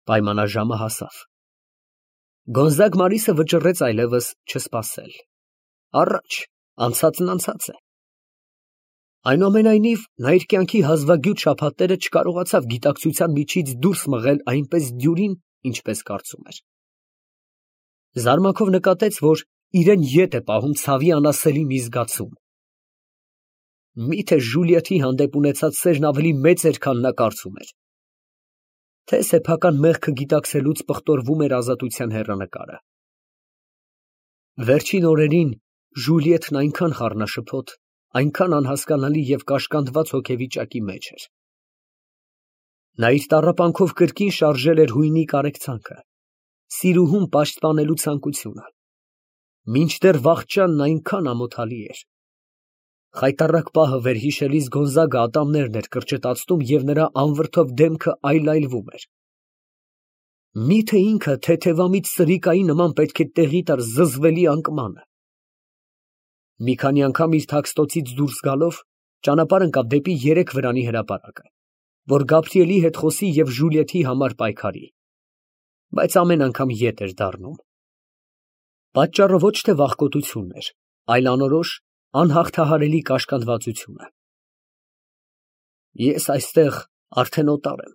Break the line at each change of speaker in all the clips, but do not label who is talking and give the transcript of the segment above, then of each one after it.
Պայմանաժամը հասավ։ Գոնզագ Մարիսը վճռեց այլևս չսպասել։ Առաջ, անցածն անցած է։ Այնուամենայնիվ, նա իր կյանքի հազվագյուտ շաբաթները չկարողացավ գիտակցության միջից դուրս մղել այնպես դյուրին, ինչպես կարծում էր։ Զարմանքով նկատեց, որ իրեն ետ է պահում ցավի անասելի մի զգացում։ Միթե Ժուլիեթի հանդեպ ունեցած սերն ավելի մեծ էր, քան նա կարծում էր։ Թե սեփական մեղքը գիտակցելուց պղտորվում էր ազատության հեռանկարը։ Վերջին օրերին Ժուլիեթն այնքան խառնաշփոթ, այնքան անհասկանալի և կաշկանդված հոգեվիճակի մեջ էր։ Նա իր տառապանքով կրկին շարժել էր հույնի կարեկցանքը, սիրուհուն պաշտպանելու ցանկությունը, մինչդեռ վախճանն այնքան ամոթալի էր։ Խայտառակ պահը վերհիշելիս Գոնզագը ատամներն էր կրճտացնում և նրա անվրդով դեմքը այլայլվում էր։ Միթե ինքը թեթևամիտ սրիկայի նման պետք է տեղի տար զզվելի անկմանը։ Մի քանի անգամ իր թաքստոցից դուրս գալով, ճանապարհ ընկավ դեպի երեք վրանի հրապարակը, որ Գաբրիելի հետ խոսի և Ժուլիեթի համար պայքարի, բայց ամեն անգամ ետ էր դառնում։ Պատճառը ոչ թե վախկոտությունն էր, այլ անորոշ, անհաղթահարելի կաշկանդվածությունը։ Ես այստեղ արդեն օտար եմ։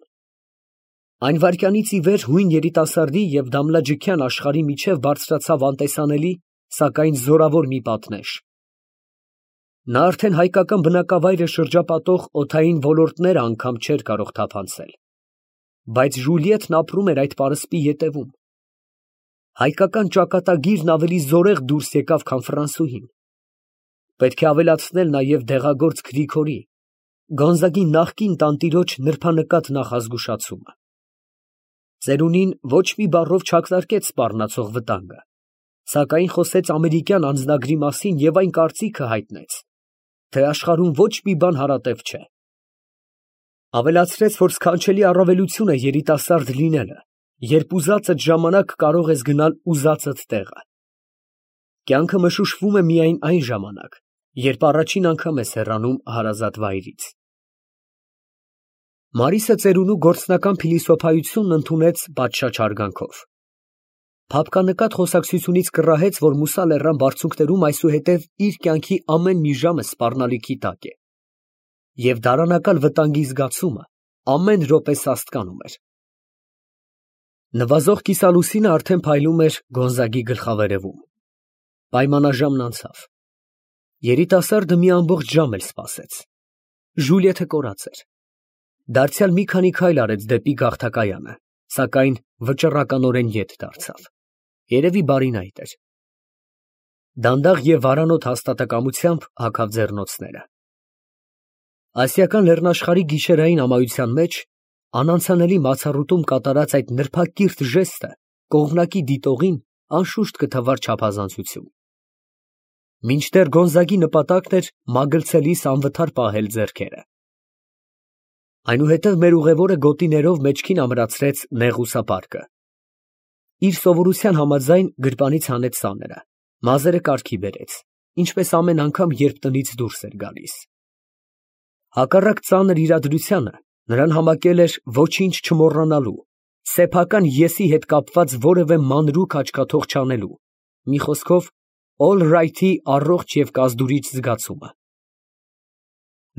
Այն վայրկյանից ի վեր հույն երիտասարդի և դամլաջքյան աշխարհի միջև բարձրացավ անտեսանելի, սակայն զորավոր մի պատնեշ։ Նա արդեն հայկական բնակավայրը շրջապատող օդային ոլորտները անգամ չէր կարող թափանցել, բայց Ժուլիեթն ապրում էր այդ պարսպի ետևում։ Հայկական ճակատագիրն ավելի զորեղ դուրս եկավ, քան ֆրանսուհին։ Պետք է ավելացնել նաև դեղագործ Գրիգորի, Գոնզագի նախկին տանտիրոջ նրբանկատ նախազգուշացումը։ Ծերունին ոչ մի բառով չակնարկեց սպառնացող վտանգը, սակայն խոսեց ամերիկյան անձնագրի մասին և այն կարծիքը հայտնեց, թե աշխարհում ոչ մի բան հարատև չէ։ Ավելացրեց, որ սքանչելի առավելություն է երիտասարդ լինելը, երբ ուզածդ ժամանակ կարող ես գնալ ուզածդ տեղը։ Կյանքը մշուշվում է միայն այն ժամանակ, երբ առաջին անգամ ես հեռանում հարազատ վայրից։ Մարիսը ծերունու գործնական փիլիսոփայությունն ընդունեց պատշաճ հարգանքով։ Փափկանկատ խոսակցությունից կռահեց, որ Մուսա լեռան բարձունքներում այսուհետև իր կյանքի ամեն մի ժամը սպառնալիքի տակ է, և դարանակալ վտանգի զգացումը ամեն րոպե սաստկանում էր։ Նվազող կիսալուսինը արդեն փայլում էր Գոնզագի գլխավերևում։ Պայմանաժամն անցավ։ Երիտասարդը մի ամբողջ ժամ էլ սպասեց։ Ժուլիեթը կորած էր։ Դարձյալ մի քանի քայլ արեց դեպի գաղթակայանը, սակայն վճռականորեն ետ դարձավ։ Երևի բարին այդ էր։ Դանդաղ և վարանոտ հաստատակամությամբ հագավ ձեռնոցները։ Ասիական լեռնաշխարհի գիշերային ամայության մեջ անանցանելի մացառուտում կատարած այդ նրբակիրթ ժեստը կողմնակի դիտողին անշուշտ կթվար չափազանցություն։ Մինչդեռ Գոնզագի նպատակն էր մագլցելիս անվթար պահել ձեռքերը։ Այնուհետև մեր ուղևորը գոտիներով մեջքին ամրացրեց նեղուսապարկը։ Իր սովորության համաձայն գրպանից հանեց սաները, մազերը կարգի բերեց, ինչպես ամեն անգամ, երբ տնից դուրս էր գալիս։ Հակառակ ծանր իրադրությանը նրան համակել էր ոչինչ չմոռանալու, սեփական եսի հետ կապված որևէ մանրուք աչքաթող չանելու, մի խոսքով all right-ի առողջ և կազդուրիչ զգացումը։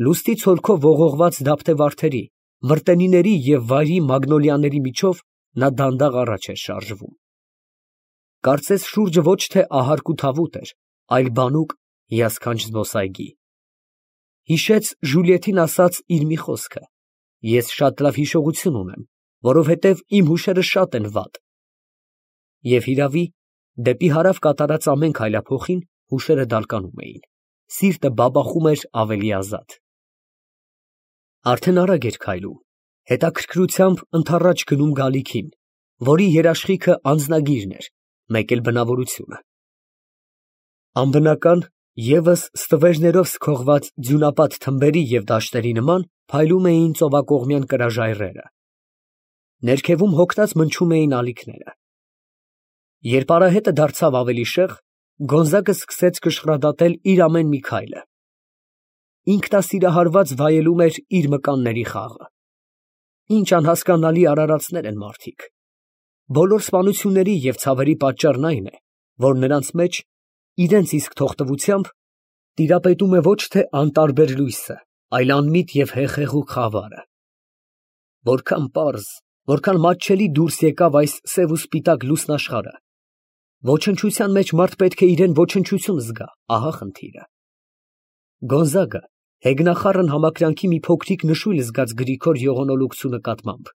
Լուստի ցոլքով ողողված դափտեվարդերի, մրտենիների և վայրի մագնոլիաների միջով նա դանդաղ առաջ էր շարժվում։ Կարծես շուրջը ոչ թե ահարկ ու թավուտ էր, այլ բանուկ, հիասքանչ զբոսայգի։ Հիշեց Ժուլիեթին ասած իր մի խոսքը. «Ես շատ լավ հիշողություն ունեմ, որովհետև իմ հուշերը շատ են վատ»։ Եվ հիրավի, դեպի հարավ կատարած ամեն քայլափոխին հուշերը դալկանում էին, սիրտը բաբախում էր ավելի ազատ։ Արդեն արագ էր քայլում, հետաքրքրությամբ ընդառաջ գնում գալիքին, որի երաշխիքը անձնագիրն էր, մեկ էլ բնավորությունը։ Անբնական, ևս ստվերներով սքողված ձյունապատ թմբերի և դաշտերի նման փայլում էին ծովակողմյան կրաժայռերը։ Ներքևում հոգնած մնչում էին ալիքները։ Երբ արահետը դարձավ ավելի շեղ, Գոնզագը սկսեց կշռադատել իր ամեն մի քայլը։ Ինքնասիրահարված վայելում էր իր մկանների խաղը։ Ինչ անհասկանալի արարածներ են մարդիկ, բոլոր սպանությունների և ցավերի պատճառն այն է, որ նրանց մեջ, իրենց իսկ թողտվությամբ, տիրապետում է ոչ թե անտարբեր լույսը, այլ անմիտ և հեղեղուկ խավարը։ Որքան պարզ, որքան մատչելի դուրս եկավ այս սև ու սպիտակ լուսնաշխարհը, ոչնչության մեջ մարդ պետք է իրան ոչնչություն զգա, ահա խնդիրը։ Գոնզագը հեգնախառն համակրանքի մի փոքրիկ նշույլ զգաց Գրիգոր ողորմոլուկցու նկատմամբ,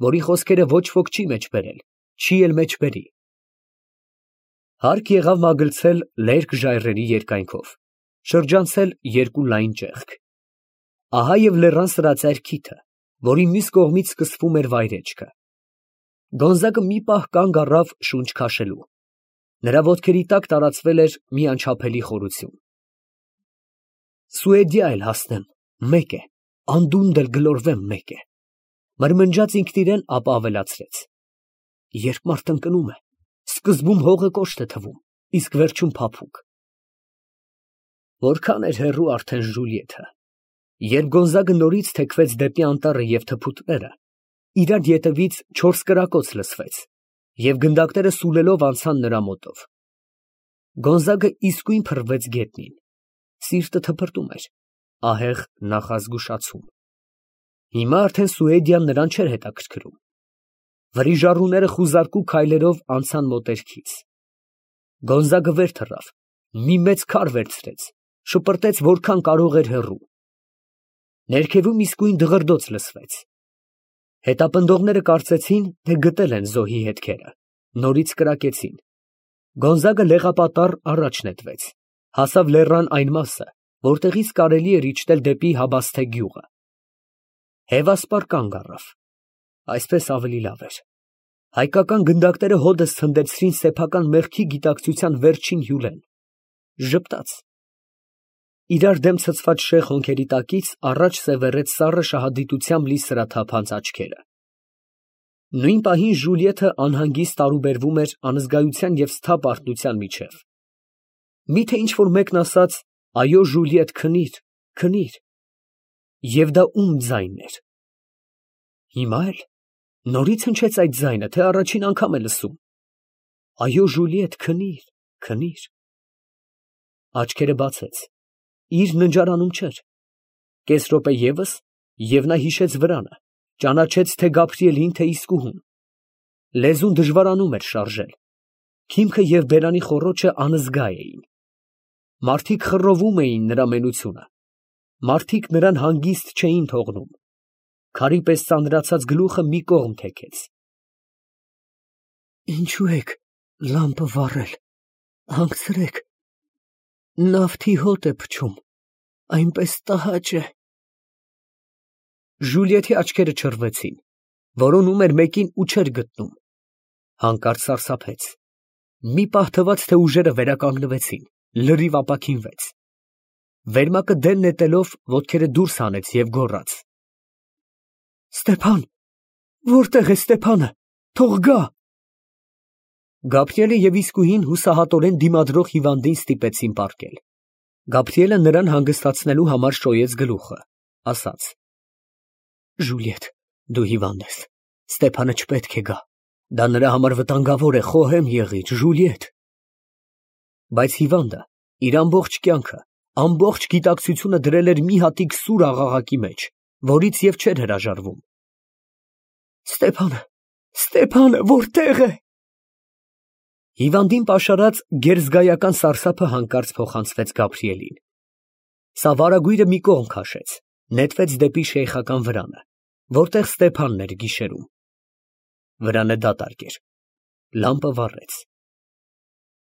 որի խոսքերը ոչ ոք չի մեջ բերել, չի էլ մեջ բերի։ Հարկ եղավ մագլցել լերկ ժայռերի երկայնքով, շրջանցել երկու լայն ճեղք։ Ահա և լեռան սրածայր քիթը, որի մյուս կողմից սկսվում էր վայրեջքը։ Գոնզագը մի պահ կանգ առավ շունչ քաշելու։ Նրա ոտքերի տակ տարածվել էր մի անչափելի խորություն։ Սուեդիա էլ հասնեմ, մեկ է, անդունդը գլորվեմ, մեկ է, մրմնջաց ինքն իրեն, ապա ավելացրեց. երբ մարդ ընկնում է, սկզբում հողը կոշտ է թվում, իսկ վերջում փափուկ։ Որքան էր հեռու արդեն Ժուլիեթը, երբ Գոնզագը նորից թեքվեց դեպի անտառը և թփուտները, իրար ետևից 4 կրակոց լսվեց, և գնդակները սուլելով անցան նրա մոտով։ Գոնզագը իսկույն փռվեց գետնին, սիրտը թպրտում էր, ահեղ նախազգուշացում։ Հիմա արդեն Սուեդիան նրան չէր հետաքրքրում։ Վրիժառուները խուզարկու քայլերով անցան մոտերքից։ Գոնզագը վեր թռավ, մի մեծ քար վերցրեց, շպրտեց որքան կարող էր հեռու։ Ներքևում իսկույն դղրդոց լսվեց։ Հետապնդողները կարծեցին, թե գտել են զոհի հետքերը, նորից կրակեցին։ Գոնզագը լեղապատառ առաջ նետվեց, հասավ լեռան այն մասը, որտեղից կարելի էր իջնել դեպի Հաբասթե գյուղը։ Հևասպառ կանգ առավ։ Այսպես ավելի լավ էր։ Հայկական գնդակները հոդս ցնդեցրին սեփական մեղքի գիտակցության վերջին հյուրեն։ Ժպտաց։ Իրար դեմ ցցված շեղ հոնքերի տակից առաջ սևեռեց սառը շահադիտությամբ լի սրաթափանց աչքերը։ Նույն պահին Ժուլիեթը անհանգիստ տարուբերվում էր անզգայության և սթափ արթնության միջև։ Միթե ինչ֊որ մեկն ասաց. «Այո, Ժուլիետ, քնիր, քնիր»։ Եվ դա ում ձայնն էր։ Հիմա էլ նորից հնչեց այդ ձայնը, թե առաջին անգամ է լսում։ «Այո, Ժուլիետ, քնիր, քնիր»։ Աչքերը բացեց, իր ննջարանում չէր։ Կես րոպե ևս, և նա հիշեց վրանը, ճանաչեց թե Գաբրիելին, թե իսկուհուն։ Լեզուն դժվարանում էր շարժել։ Քիմքը և բերանի խոռոչը անզգա էին։ Մարդիկ խռովում էին նրա մենությունը։ Մարդիկ նրան հանգիստ չէին թողնում։ Քարի պես ծանրացած գլուխը մի կողմ թեքեց։ Ինչո՞ւ եք լամպը վառել, հանգցրեք, նավթի հոտ է փչում, այնպես տհաճ է։ Ժուլիեթի աչքերը չռվեցին, որոնում էր մեկին ու չէր գտնում։ Հանկարծ սարսափեց։ Մի պահ թվաց, թե ուժերը վերականգնվեցին, լրիվ ապաքինվեց։ Վերմակը դեն նետելով ոտքերը դուրս հանեց և գոռաց. Ստեփան, որտե՞ղ է Ստեփանը, թող գա։ Գաբրիելը և իսկուհին հուսահատորեն դիմադրող հիվանդին ստիպեցին պառկել։ Գաբրիելը նրան հանգստացնելու համար շոյեց գլուխը, ասաց. Ժուլիետ, դու հիվանդ ես, Ստեփանը չպետք է գա, դա նրա համար վտանգավոր է, խոհեմ եղիր, Ժուլիետ։ Բայց հիվանդը իր ամբողջ կյանքը, ամբողջ գիտակցությունը դրել էր մի հատիկ սուր աղաղակի մեջ, որից և չէր հրաժարվում։ Ստեփանը, Ստեփանը, որտե՞ղ է։ Հիվանդին պաշարած գերզգայական սարսափը հանկարծ փոխանցվեց Գաբրիելին։ Սա վարագույրը մի կողմ քաշեց, նետվեց դեպի շեյխական վրանը, որտեղ Ստեփանն էր գիշերում։ Վրանը դատարկ էր։ Լամպը վառեց։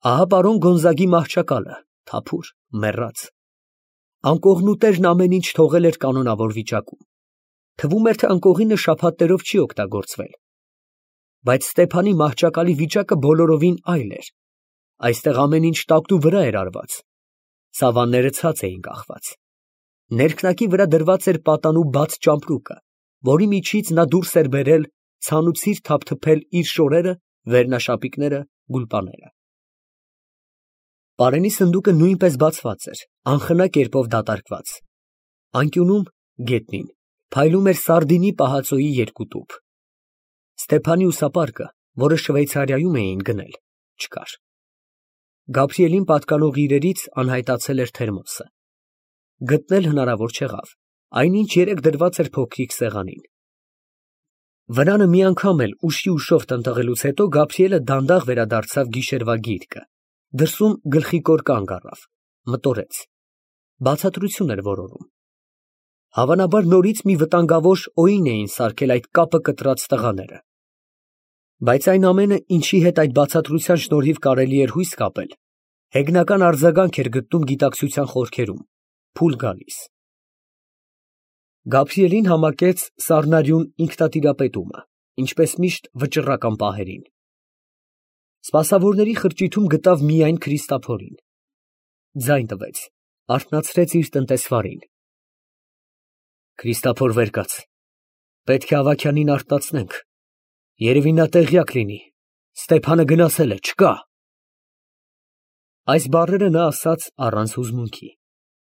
Ահա պարոն Գոնզագի մահճակալը, թափուր, մեռած։ Անկողնուտերն ամեն ինչ թողել էր կանոնավոր վիճակում։ Թվում էր, թե անկողինը շաբաթներով չի օգտագործվել։ Բայց Ստեփանի մահճակալի վիճակը բոլորովին այլ էր։ Այստեղ ամեն ինչ տակտու վրա էր արված։ Սավանները ցած էին կախված։ Ներքնակի վրա դրված էր պատանու բաց ճամպրուկը, որի միջից նա դուրս էր բերել ցանուցիր թափթփել իր շորերը, վերնաշապիկները, գուլպաները։ Պարենի սնդուկը նույնպես բացված էր, անխնա կերպով դատարկված։ Անկյունում, գետնին, փայլում էր սարդինի պահածոյի երկու տուփ։ Ստեփանի ուսապարկը որը Շվեյցարիայում էին գնել, չկար։ Գաբրիելին պատկանող իրերից անհայտացել էր թերմոսը։ Գտնել հնարավոր չեղավ, այնինչ երեք դրված էր փոքրիկ սեղանին։ Վրանը մի անգամ էլ ուշի ուշով տնտղելուց հետո Գաբրիելը դանդաղ վերադարձավ գիշերվա գիրկը, դրսում գլխիկոր կանգ առավ, մտորեց, բացատրություն էր որոնում։ Հավանաբար նորից մի վտանգավոր օին էին սարքել այդ կապը կտրած տղաները։ Բայց այն ամենը, ինչի հետ այդ բացատրության շնորհիվ կարելի էր հույս կապել, հեգնական արձագանք էր գտնում գիտակցության խորքերում, փուլ գալիս։ Գաբրիելին համակեց սառնարյուն ինքնատիրապետումը, ինչպես միշտ վճռական պահերին։ Սպասավորների խրճիթում գտավ միայն Քրիստափորին։ Ձայն տվեց, արթնացրեց իր տնտեսվարին։ Քրիստափոր վեր կաց, պետք է Ավագյանին արթնացնենք, երևի նա տեղյակ լինի, Ստեփանը գնացել է, չկա։ Այս բառերը նա ասաց առանց հուզմունքի։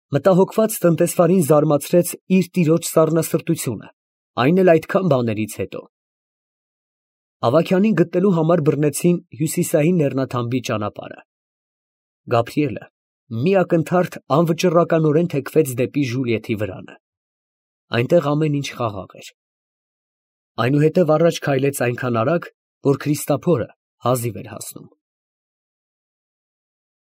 Մտահոգված տնտեսվարին զարմացրեց իր տիրոջ սառնասրտությունը, այն էլ այդքան բաներից հետո։ Ավագյանին գտնելու համար բռնեցին հյուսիսային լեռնաթամբի ճանապարհը։ Գաբրիելը մի ակնթարթ անվճռականորեն թեքվեց դեպի Ժուլիեթի վրանը։ Այնտեղ ամեն ինչ խաղաղ էր։ Այնուհետև առաջ քայլեց այնքան արագ, որ Քրիստափորը հազիվ էր հասնում։